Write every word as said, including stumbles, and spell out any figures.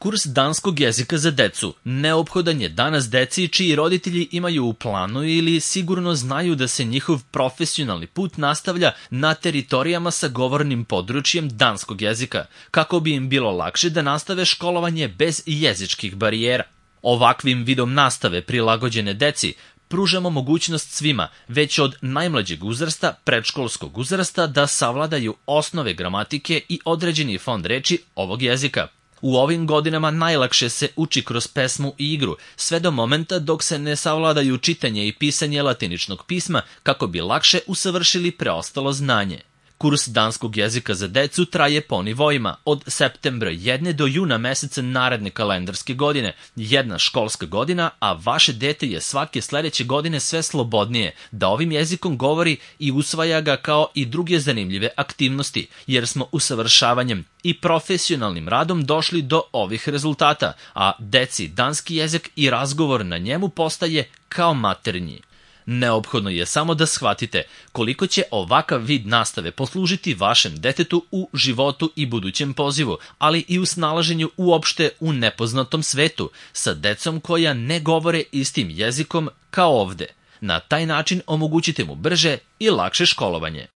Kurs danskog jezika za decu neophodan je danas deci čiji roditelji imaju u planu ili sigurno znaju da se njihov profesionalni put nastavlja na teritorijama sa govornim područjem danskog jezika, kako bi im bilo lakše da nastave školovanje bez jezičkih barijera. Ovakvim vidom nastave prilagođene deci pružamo mogućnost svima, već od najmlađeg uzrasta, predškolskog uzrasta, da savladaju osnove gramatike i određeni fond reči ovog jezika. U ovim godinama najlakše se uči kroz pesmu i igru, sve do momenta dok se ne savladaju čitanje i pisanje latiničnog pisma kako bi lakše usavršili preostalo znanje. Kurs danskog jezika za decu traje po nivoima, od septembra jedne do juna meseca naredne kalendarske godine, jedna školska godina, a vaše dete je svake sledeće godine sve slobodnije da ovim jezikom govori i usvaja ga kao i druge zanimljive aktivnosti, jer smo usavršavanjem i profesionalnim radom došli do ovih rezultata, a deci danski jezik i razgovor na njemu postaje kao maternji. Neophodno je samo da shvatite koliko će ovakav vid nastave poslužiti vašem detetu u životu i budućem pozivu, ali i u snalaženju uopšte u nepoznatom svetu sa decom koja ne govore istim jezikom kao ovde. Na taj način omogućite mu brže i lakše školovanje.